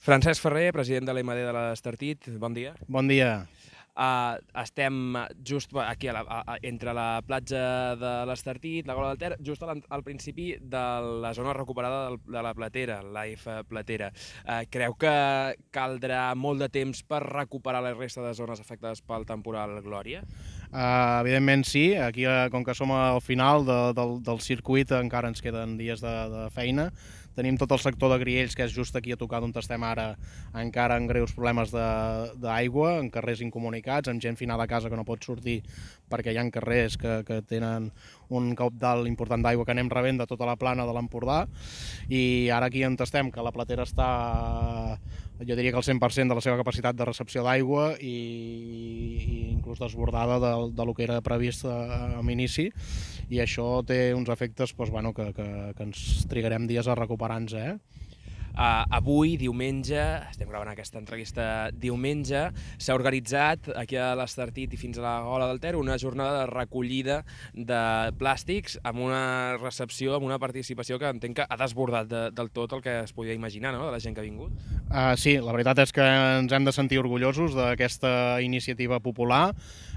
Francesc Ferrer, president de l'EMD de l'Estartit, bon dia. Bon dia. Estem just aquí entre la platja de l'Estartit, la Gola del Ter, just al principi de la zona recuperada de la Platera, l'AF Platera. Creu que caldrà molt de temps per recuperar la resta de zones afectades pel temporal Glòria? Evidentment sí, aquí com que som al final del circuit encara ens queden dies de feina. Tenim tot el sector de Griells, que és just aquí a tocar d'on estem ara, encara amb greus problemes d'aigua, en carrers incomunicats, amb gent finada a casa que no pot sortir perquè hi ha carrers que tenen un caudal important d'aigua que anem rebent de tota la plana de l'Empordà. I ara aquí on estem, que la Platera està, jo diria que el 100% de la seva capacitat de recepció d'aigua i inclús desbordada del que era previst a l'inici, i això té uns efectes que ens trigarem dies a recuperar-nos. Avui, diumenge, estem gravant aquesta entrevista diumenge, s'ha organitzat aquí a l'Estartit i fins a la Gola del Ter una jornada de recollida de plàstics amb una recepció, amb una participació que entenc que ha desbordat del tot el que es podia imaginar, no?, de la gent que ha vingut. Sí, la veritat és que ens hem de sentir orgullosos d'aquesta iniciativa popular,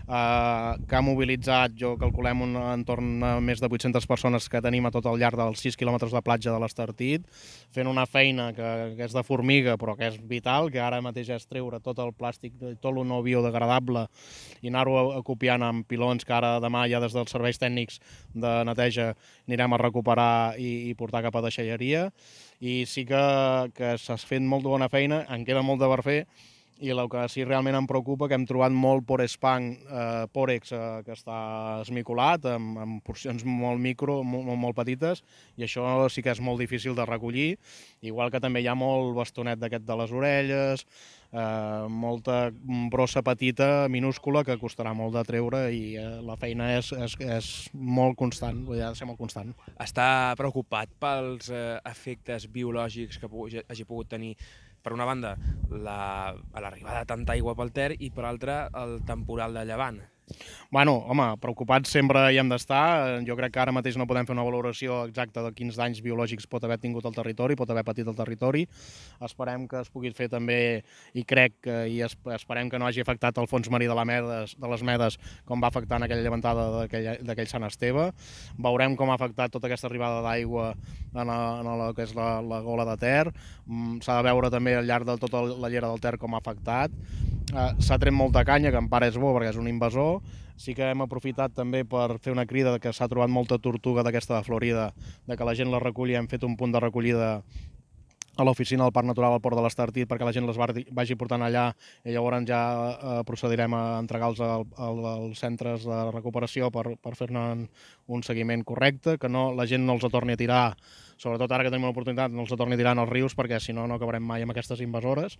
que ha mobilitzat, calculem, un entorn a més de 800 persones que tenim a tot el llarg dels 6 quilòmetres de platja de l'Estartit, fent una feina que és de formiga però que és vital, que ara mateix és treure tot el plàstic, tot el no biodegradable i anar-ho acopiant amb pilons que ara demà ja des dels serveis tècnics de neteja anirem a recuperar i portar cap a deixalleria. I sí que s'ha fet molt de bona feina, en queda molt de per fer, i el que sí realment em preocupa que hem trobat molt pòrex que està esmicolat amb porcions molt micro, molt petites, i això sí que és molt difícil de recollir, igual que també hi ha molt bastonet d'aquest de les orelles, molta brossa petita, minúscula, que costarà molt de treure, i la feina és molt constant, ha de ser molt constant. Està preocupat pels efectes biològics que hagi pogut tenir, per una banda, l'arribada de tanta aigua pel Ter i, per altra, el temporal de llevant? Bueno, home, preocupats sempre hi hem d'estar. Jo crec que ara mateix no podem fer una valoració exacta de quins danys biològics pot haver tingut el territori, pot haver patit el territori. Esperem que es pugui fer també, i esperem que no hagi afectat el fons marí de les Medes com va afectar en aquella llevantada d'aquell Sant Esteve. Veurem com ha afectat tota aquesta arribada d'aigua en el que és la Gola de Ter. S'ha de veure també al llarg de tota la llera del Ter com ha afectat. S'ha tret molta canya, que en part és bo perquè és un invasor. Sí que hem aprofitat també per fer una crida que s'ha trobat molta tortuga d'aquesta de Florida, de que la gent la reculli. Hem fet un punt de recollida a l'oficina del Parc Natural al Port de l'Estartit perquè la gent les vagi portant allà, i llavors ja procedirem a entregar-los als centres de recuperació per fer-ne un seguiment correcte, que la gent no els torni a tirar, sobretot ara que tenim l'oportunitat, no els torni a tirar en els rius, perquè si no, no acabarem mai amb aquestes invasores.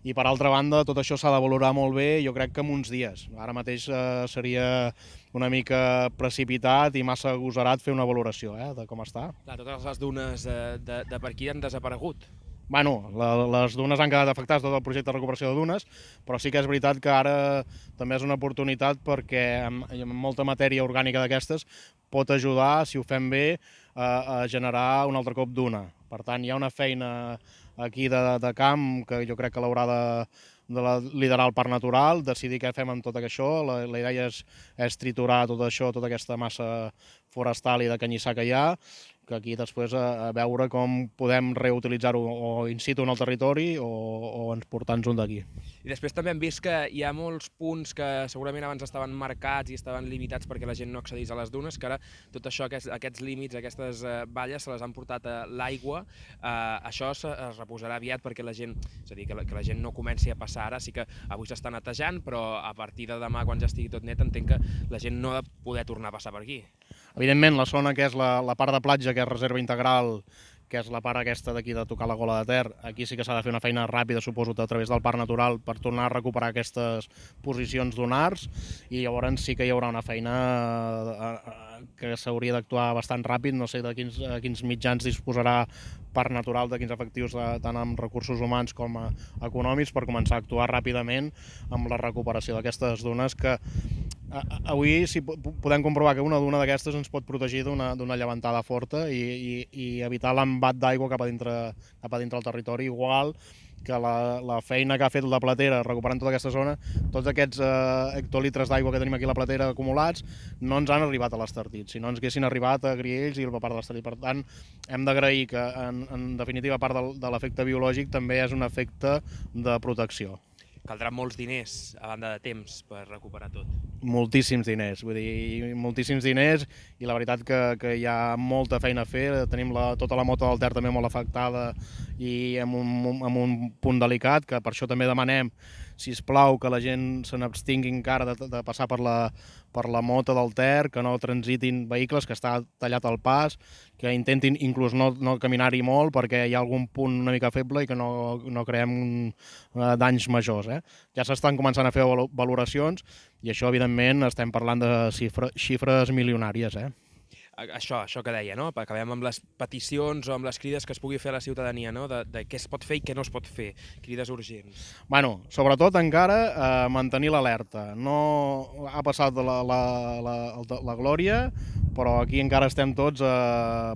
I per altra banda, tot això s'ha de valorar molt bé, jo crec que en uns dies. Ara mateix seria una mica precipitat i massa agosarat fer una valoració de com està. Clar, totes les dunes de per aquí han desaparegut. Bueno, les dunes han quedat afectades, tot el projecte de recuperació de dunes, però sí que és veritat que ara també és una oportunitat perquè amb molta matèria orgànica d'aquestes pot ajudar, si ho fem bé, a generar un altre cop duna. Per tant, hi ha una feina aquí de camp que jo crec que l'haurà de liderar el Parc Natural, decidir què fem amb tot això. La idea és triturar tot això, tota aquesta massa forestal i de canyissar que hi ha, que aquí després a veure com podem reutilitzar-ho o in situ en el territori o portar-nos un d'aquí. I després també hem vist que hi ha molts punts que segurament abans estaven marcats i estaven limitats perquè la gent no accedís a les dunes, que ara tot això, aquests límits, aquestes valles, se les han portat a l'aigua. Això es reposarà aviat perquè la gent, és a dir, que la gent no comenci a passar ara. Sí que avui s'està netejant, però a partir de demà, quan ja estigui tot net, entenc que la gent no ha de poder tornar a passar per aquí. Evidentment, la zona que és la part de platja, que és reserva integral, que és la part aquesta d'aquí de tocar la Gola de Ter, aquí sí que s'ha de fer una feina ràpida, suposo, a través del Parc Natural per tornar a recuperar aquestes posicions dunars, i llavors sí que hi haurà una feina que s'hauria d'actuar bastant ràpid. No sé de quins mitjans disposarà Parc Natural, de quins efectius tant amb recursos humans com econòmics, per començar a actuar ràpidament amb la recuperació d'aquestes dunes que Avui podem comprovar que una duna d'aquestes ens pot protegir d'una llevantada forta i evitar l'embat d'aigua cap a dintre del territori, igual que la feina que ha fet la platera recuperant tota aquesta zona, tots aquests hectolitres d'aigua que tenim aquí a la platera acumulats no ens han arribat a l'Estartit, si no ens haguessin arribat a Griells i a part de l'Estartit. Per tant, hem d'agrair que, en definitiva, part de l'efecte biològic també és un efecte de protecció. Caldran molts diners, a banda de temps, per recuperar tot. Moltíssims diners, vull dir, moltíssims diners, i la veritat que hi ha molta feina a fer. Tenim tota la mota del Ter també molt afectada i amb un punt delicat, que per això també demanem, sisplau, que la gent se n'abstingui encara de passar per la mota del Ter, que no transitin vehicles, que està tallat el pas, que intentin inclús no caminar-hi molt perquè hi ha algun punt una mica feble i que no creem danys majors. Ja s'estan començant a fer valoracions i això, evidentment, estem parlant de xifres milionàries. Això que deia, no? Acabem amb les peticions o amb les crides que es pugui fer a la ciutadania, no? De què es pot fer i què no es pot fer, crides urgents. Bueno, sobretot encara mantenir l'alerta. No ha passat la glòria, però aquí encara estem tots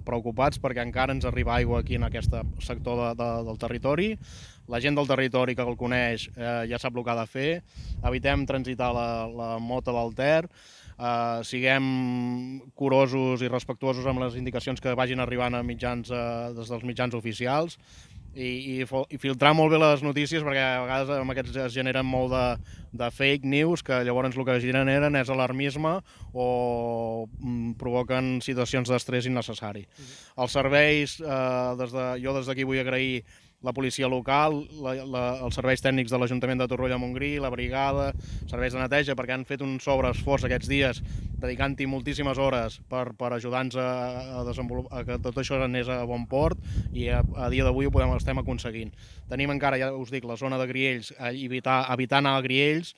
preocupats perquè encara ens arriba aigua aquí en aquest sector del territori. La gent del territori que el coneix ja sap el que ha de fer. Evitem transitar la mota del Ter. Siguem curosos i respectuosos amb les indicacions que vagin arribant a des dels mitjans oficials i filtrar molt bé les notícies, perquè a vegades amb aquests es generen molt de fake news, que llavors el que generen és alarmisme o provoquen situacions d'estrès innecessari. Els serveis, jo des d'aquí vull agrair la policia local, els serveis tècnics de l'Ajuntament de Torroella de Montgrí, la brigada, serveis de neteja, perquè han fet un sobreesforç aquests dies, dedicant-hi moltíssimes hores per ajudar-nos a desenvolupar que tot això anés a bon port, i a dia d'avui ho estem aconseguint. Tenim encara, ja us dic, la zona de Griells, evitar anar a Griells,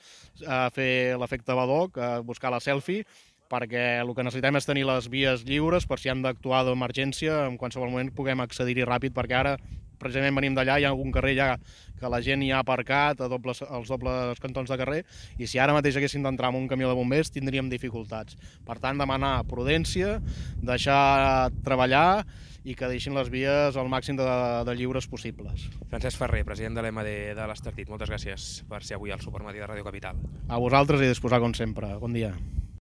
fer l'efecte Badoc, buscar la selfie, perquè el que necessitem és tenir les vies lliures per si han d'actuar d'emergència, en qualsevol moment puguem accedir-hi ràpid, perquè ara precisament venim d'allà, hi ha algun carrer ja que la gent hi ha aparcat als dobles cantons de carrer, i si ara mateix haguéssim d'entrar amb un camió de bombers tindríem dificultats. Per tant, demanar prudència, deixar treballar i que deixin les vies al màxim de lliures possibles. Francesc Ferrer, president de l'EMD de l'Estartit, moltes gràcies per ser avui al Supermatí de Ràdio Capital. A vosaltres i disposar com sempre. Bon dia.